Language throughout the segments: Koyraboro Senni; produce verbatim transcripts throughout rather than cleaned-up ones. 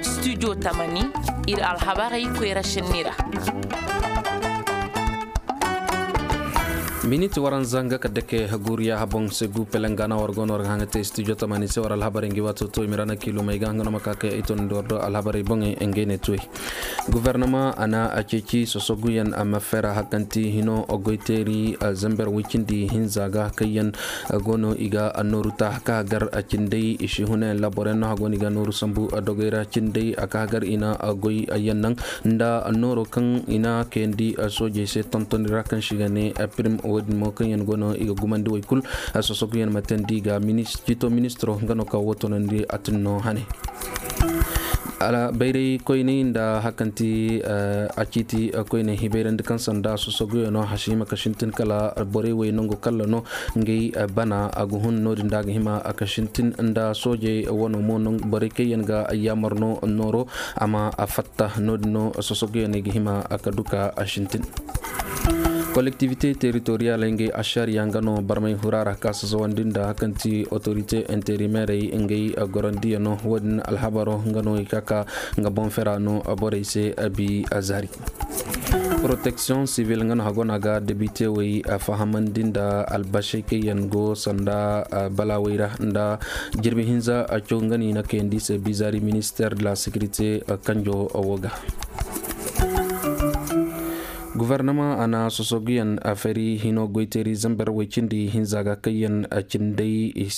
Studio tamani, ir alhabarey koyra sinni ra. Miniti waranza nga ka dake guuriya haboŋ se gu pelengana war go no war ga haŋa te studio tamani se war alhabarey ngi waato to i ma ra na kiilumey ga nga no ma ka kay ay tondi war do alhabarey boŋey ngey ne tuwey. Gufarnama a na a ceeci sosoguyaŋ a ma fera hakanti hino goyteeri zamber woy cindi hinza ga kaŋ yaŋ go no i ga nooru ta ka gar cindey i si hunayaŋ laboroyaŋ no hago no i ga nooru sambu dogey ra cindey a ka gar i na goy yaŋ naŋ nda nooro kaŋ i na kayandi soojey se tontoni ra kaŋ se i ga ne pirim wo- din mo kaŋ yaŋ go no i ga gumandi woy kul sosoguyaŋ ma teendi ga minis- ciito ministiro nga no ka wo toonandi a tun no hane. Bayray koyney nda hakanti a ciiti koyney hibayrandi kaŋ sanda sosoguyo no hasi hima ka sintin kala borey wey nangu kalla no ngey bana a ga hun no- din da a ga hima ka sintin nda soojey wano mo borey kaŋ yaŋ ga yaamar no nooro a ma fatta no- din no sosoguyo no i ga hima ka du ka sintin. Kolektivite teritoriyaley ngey ašariya nga no barmay hura ra ka sasawandi nda kaŋ ti otorite interimerey ngey gorandiya no wo- din alhabaro nga no i ka ka nga boŋ fera no borey se abi zaari. Poroteksiyoŋ sivil nga no hago no a ga debite wey fahamandi nda albasey kaŋ yaŋ go sanda balawey ra nda jirbi hinza a caw nga no i na kayandi se bizari minister de la sekirite kanjo wo ga. Gufarnama a na sosoguyaŋ a fari hino goyteeri zamber woy cindi hinza ga kaŋ yaŋ cindey i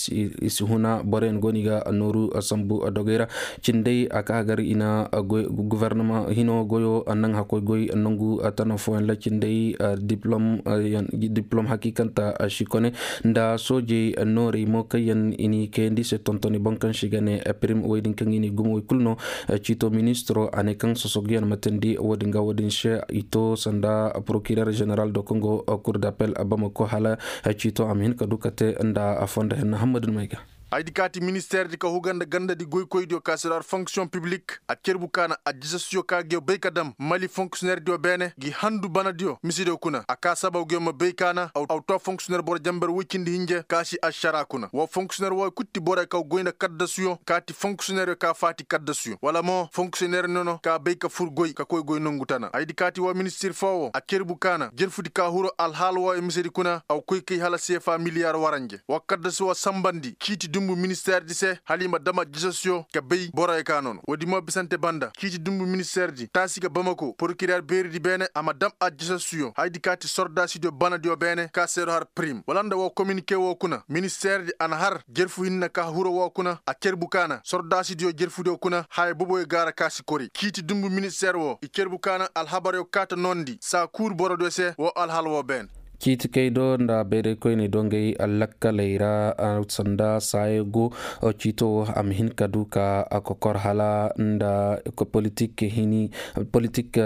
si huna boroyaŋ go no i ga nooru sambu dogey ra cindey a ka gar i na gufarnama hino goyo naŋ hakkoy goy nangu tana fooyaŋ ra cindey diplom hakiikanta si kone nda soojey noorey mo kaŋ yaŋ i n'i kayandi se tontoni boŋ kaŋ se i ga ne pirim woy din kaŋ i n'i gumo woy kulu no. Ciito ministiro a ne kaŋ sosoguyaŋ ma teendi wo- din ga wo- din se i to sanda porokirer ženeral do kaŋ go kur dapel bamako hala ciito a ma hin ka du ka te nda fondo henna hammadun may ga. Ay di kaati ministeer di ka huga nda ganda di goykoydiyo ka se do har fonksiyoŋ piblik a cerbu kaana addisasiyo ka ga yo bay ka dam mali fonksiyoneerdiyo beene gi handu banadiyo misidiyo kuna a ka sabaw ga yo ma bay kaana aw to fonksiyoneer boro jamber woy cindi hinje ka si ašara kuna woo fonksiyoneer wooyo kul ti borey kaw goy nda kaddasuyo ka ti fonksiyoneeryo ka faati kaddasuyo wala mo fonksiyoneer nono ka bay ka fur goy ka koy goy nongu tana ay di kaati woo ministir foo woo a cerbu kaana jerfudi ka huru alhaal wooyo misedi kuna aw koy kay hala seefa miliyaar waranje wa kaddasu wa sambandi ciiti dumbu ministeerdi se hala i ma dam addisasiyo ka bay boroyo ka nono woodi mo bisante banda ciiti dumbu ministeerdi taasi ga bamako porokireer beeridi beene a ma dam addisasiyo haydi ka ti sordaasidiyo banadiyo beene ka seedo har pirim wala nda woo kominike woo kuna ministeerdi a na har jerfu hinne ka huro woo kuna a cerbu kaana sordaasidiyo jerfudiyo kuna haya boboyo gaara ka si kori ciiti dumbu ministeer woo i cerbu kaana alhabaryo kaata noondi saa kuur borodiyo se woo alhal woo beene. Ciiti kay do nda bayray koyney do ngey lakkaley ra sanda saayey go ciito wo a ma hin ka du ka kokor hala nda politik hini politik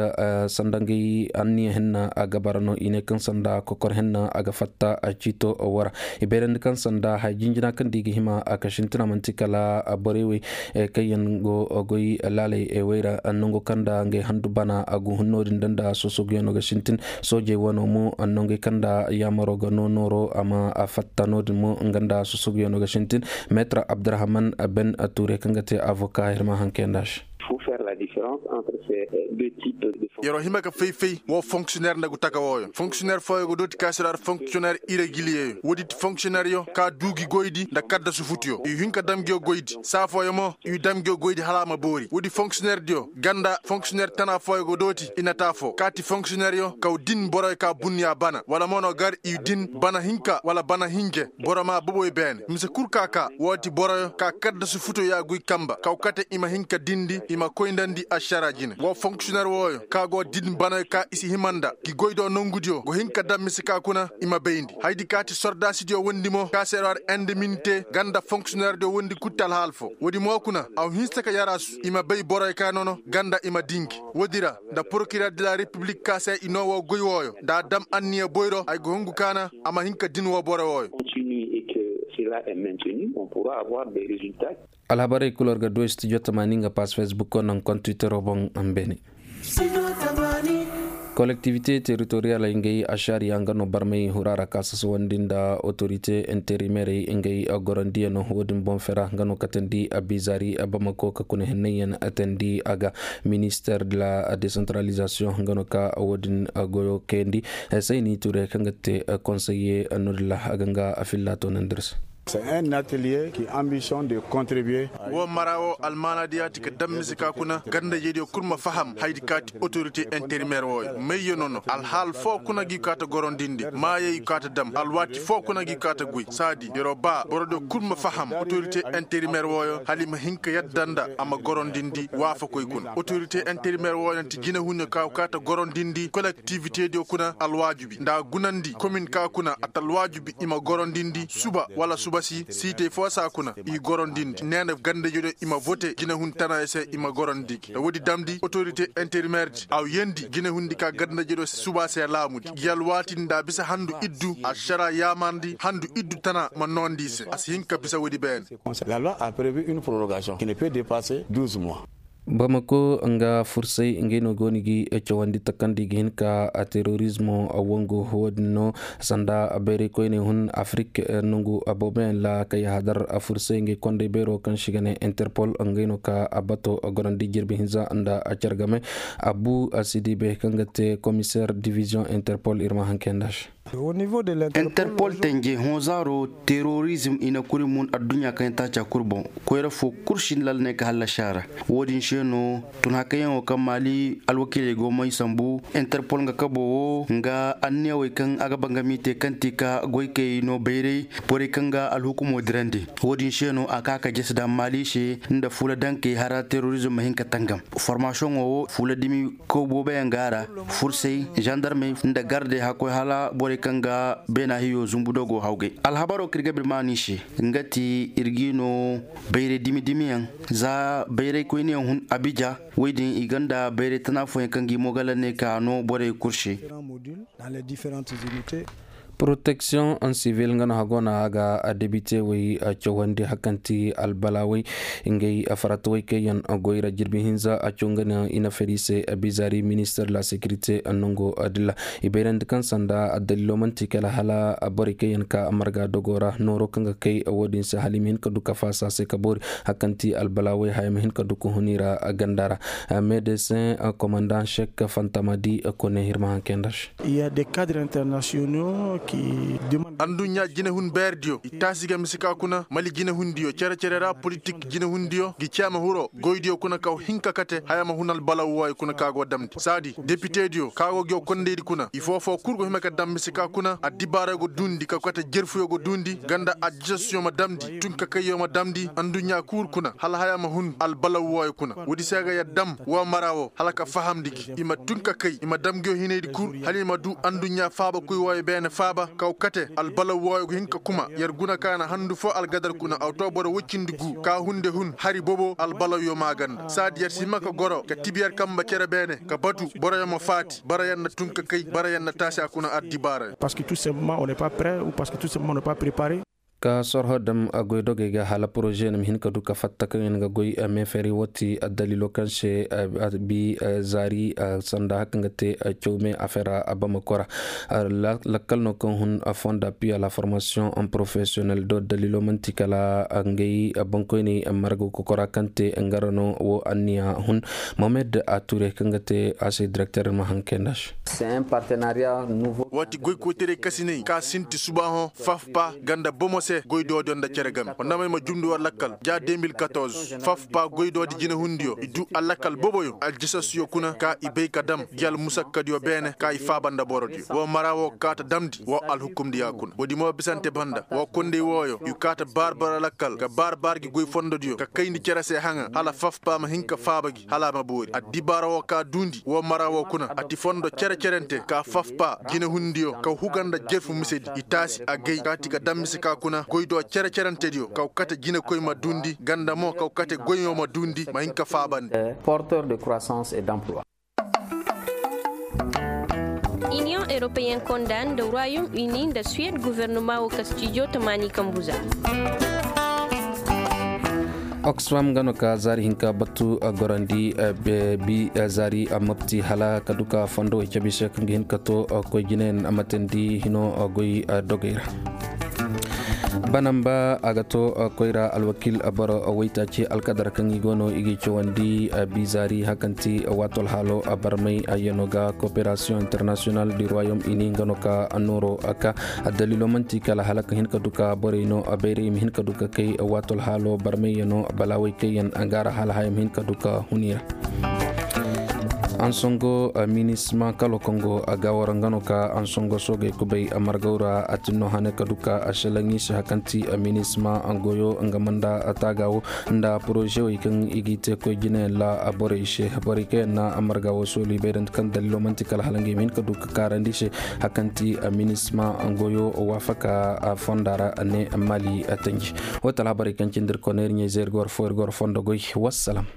sanda ngey anniya henna a ga bara no i ne kaŋ sanda kokor henna a ga fatta ciito wo ra i bayrandi kaŋ sanda haya jinjina kaŋ da i ga hima a ka sintina manti kala borey wey kaŋ yaŋ go goy laaley wey ra nango kaŋ nda ngey handu bana a go hun no- din da nda sosoguyaŋo ga sintin soojey wano mo nongey kaŋ nda yaamaro ga no nooro a ma fatta no- din mo nga nda sosoguyaŋo ga sintin meetar abdurahman ben tuure kaŋ ga te avoka ir ma haŋ kayanda se. Yer'o hima ka fay-fay woo fonksiyoneer nda gu taka wooyo fonksiyoneer fooyo ga dooti ka si ra fonksiyoneer iregiliyeyo woodi ti fonksiyoneeryo ka duu gi goydi nda kaddasu futuyo i hin ka dam ngiyo goydi saa fooyo mo i dam ngiyo goydi hala a ma boori woodi fonksiyoneerdiyo ganda fonksiyoneer tana fooyo ga dooti i na taa foo kaati fonksiyoneeryo kaw din boroyo ka bunniya bana wala mo no gar i din bana hinka wala bana hinje boro maa boboy beene mise kul ka kaa woo ti boroyo ka kaddasu futuyo ya goy kamba kaw kate i ma hin ka dindi i ma koyndandi ašara jine woo fonksiyoneer wooyo ka go din banayo ka i si hima nda gi goy do nongudiyo go hin ka dam mise ka kuna i ma bayndi haydi ka ti sordaasidiyo wondi mo ka seedo har endeminite ganda fonksiyoneerdiyo wondi kul ti alhaal foo woodi mo kuna aw hinsa ka yaraasu i ma bay boroyo ka nono ganda i ma dingi woodi ra nda porokireer de la repiblik ka se i noo woo goy wooyo nda a dam anniya boyro ay go hungu kaana a ma hin ka din woo boro wooyo. Alhabarey kul war ga du studio tamaani nga pass facebook o naŋ kontwitero boŋ. Beene. Kolektivite teritoriyal ngey ašariya nga no barmay hura ra ka sasawandi nda otorite interimerey ngey gorondiyaŋo wo- din boŋ fera nga no katandi bizari bamako ka kuna hennayyaŋ tandi a ga. Minister de la desantaralizasiyoŋ nga no ka wo- din goyo kayandi. Sayni ture kaŋ ga te konseye no- din ra a ga nga filla to nandir se. Wo mara wo almaana diya ti ka daŋ mise ka kuna ganda jediyo kul ma faham haydi ka ti otorite interimer wooyo mayyo no no alhaal foo kuna gi kaata gorondindi maayey kaata daŋ alwaati foo kuna gi kaata goy saadi yeroo ba borodiyo kul ma faham otorite interimer wooyo hala i ma hin ka yadda nda a ma gorondindi waafakoy kuna otorite interimer wooyo nti jinahunyo ka kaata gorondindi kolektivitediyo kuna alwaajubi nda a gunandi komin ka kuna a ta alwaajubi i ma gorondindi suba wala suba si siitey foo saa kuna i gorondindi nee na ganda jediyo i ma vote jinahun tana i se i ma gorondigi nda woodi damndi otorite interimer di a yeendi jinahun di ka ganda jediyo suba se laamudi gi alwaati nda a bisa handu iddu ašara yaamarndi handu iddu tana ma noondi i se a si hin ka bisa woodi beene. La loi a prevu une prorogation ki ne pe depase douze mois. Bamako nga fursay ngey no go ni gi cawandi takandi ga hin ka a terorizmo a wangu wo- din no sanda bayray koyney hun afrik nongu booboyaŋ ra kay hadar fursay ngey konday bayro kaŋ si ga ne interpol ngey no ka a bato gorandi jirbi hinza nda a care game abu a si di bay kaŋ ga te komiseer diviziyoŋ interpol ir ma haŋ kay nda se. Interpol tenje hõ zaaro terorizm i na kuri mun adduɲɲa kaŋ yaŋ taaca kul boŋ koyra fo kul si na lala ne ka hallasi a ra. Wo-din se no tun hakayaŋo kaŋ maali alwakiiley go may sambu interpol nga kabo wo nga anniyawey kaŋ a ga bangami te kaŋ ti ka goykey no bayray borey kaŋ ga alhukumo dirandi. Wo-din se no a ka ka jesi daŋ maali se nda fuula dankey hara terorizm ma hin ka tangam. Formasiyoŋo wo fuula dimi kaw booboyaŋ ga a ra fursey zandarmey nda gardey hakkoy hala borey kaŋ ga beena hiyo zumbu dogo hawgay. Alhabaro kaŋ ir ga bir maani se nga ti ir g'i no bayray dimi dimiyaŋ za bayray koyniyaŋ hun abija woy din i gonda bayray tana fooyaŋ kaŋ g'i mogalanne ka no borey kul se. Proteksiyoŋ sivil nga no hago na a ga debite way cawandi hakanti albalaaway ngey farataway kaŋ yaŋ goy ra jirbi hinza a caw nga ne i na fari se bizari minister de la securite nango dilla i bayrandi kaŋ sanda daliilo manti kala hala borey kaŋ yaŋ ka marga dogo ra nooro kaŋ ga kay wo-din se hala i ma hin ka du ka faasa se ka boori hakanti albalaaway haya ma hin ka du ka hun i ra ganda ra. Medesin komandan sek fantamadi kone ir ma haŋ kay nda se. Anduɲɲa jinehun beerediyo i taasi ga mise ka kuna mali jinehundiyo cere-cere ra politik jinehundiyo gi ceema hiro goydiyo kuna kaw hin ka kate haya ma hun albalaw wooyo kuna ka go damndi saadi depitediyo ka go gi wo kondaydi kuna i foo-foo kul go hima ka daŋ mise ka kuna addibaaray go duundi kaw kate jerfuyo go duundi ganda ajjasyo ma damndi tunkakayyo ma damndi anduɲɲa kul kuna hala haya ma hun albalaw wooyo kuna woodi se ga yadda dam woo mara woo hala ka fahamndi gi i ma tun ka kay i ma dam nguyo hinaydi kul hala i ma duu anduɲɲa faabakoy wooyo beene faaba kaw kate albalaw wooyo ga hin ka kuma yer guna ka na handu foo algadar kuna awto boro woy cindi guu ka hunde hun hari bobo albalawyo maaganda saadi yer si hima ka goro ka tibi yer kamba cere beene ka batu boroyo ma faati bara yer na tun ka kay bara yer na taasi a kuna addibaara. Parce que tout simplement on n'est pas prêt ou parce que tout simplement on n'est pas préparé. Ka sorho dam goydogey ga hala poroze na ma hin ka du ka fatta kaŋ yaŋ ga goy meeferi wo ti addaliilo kaŋ se bi zaari sanda haka nga te cawme afera bamako ra. Lakkal no kaŋ hun fonda piya la formasiyoŋ profesiyonel do daliilo manti kala ngey bankoyney marga kokora kaŋ te nga ra no wo anniya hun. Mohamed ature kaŋ ga te a se direkter ma haŋ kay nda se. Waati goy koytaray kasiney ka sinti subaahoŋ fafpa ganda bomo se goy doodiyo nda cere game wandamey ma jumndi war lakkal ja deux mille quatorze fafpa goy doodi jinehundiyo i duu allakal boboyo aljisasyo kuna ka i bay ka dam gi almusakkadiyo beene ka i faaba nda borodiyo woo mara woo kaata damndi woo alhukumdiya kuna woodi mo bisante banda woo kondey wooyo i kaata baar-baar lakkal ka baar-baar gi goy fondodiyo ka kayndi cere se haŋa hala fafpa ma hin ka faaba gi hala a ma boori addibaara woo ka duundi woo mara woo kuna a ti fondo cere-cerente ka fafpa jinehundiyo kaw huga nda jerfu misedi i taasi agay kaati ga dam mise ka kuna goy do cere-cerentediyo kaw kate jinekoy ma duundi ganda mo kaw kate goyoo ma duundi ma hin ka faabandi. Porteur de croissance et d'emploi. Iniyoŋ eropeyen konda nda royaume uni nda suwed guvernoma wo ka stijo tamaani kambu za. Oxfam nga no ka zaari hinka batu gorandi bi zaari mopti hala ka duka fondo way cabi se kaŋ ga hin ka to koy jinayaŋ matandi hino goy dogey ra. Banamba a ga to koyra alwakil boro waytaaci alkadar kaŋ i go no i ga i cawandi bi zaari hakanti waatol haalo barmay yano ga coopération international du royaume uni nga no ka nooro ka daliilo manti kala hala ka hin ka duka borey no bayray i ma hin ka duka kay waatol haalo barmay yano balaaway kayyaŋ gaara hala haya ma hin ka duka huni ra. Ansongo minisma kalo kongo a ga wara nga no ka ansongo soogey kubay margaw ra a tinno hane ka duka a shalaŋ i se hakanti minisma goyo nga manda taaga wo nda porozewey kaŋ i g'i te koy jinayaŋ ra borey se borey kaŋ yaŋ na marga wo sooli bay da kaŋ daliilo manti kala hala nga i ma hin ka du ka kaarandi se hakanti minisma goyo waafaka fonda ra ne mali tanji. Wo tala borey kaŋ cindi ir koneeri ɲayze ir ga war fo ir ga war fondo goy. Wassalam.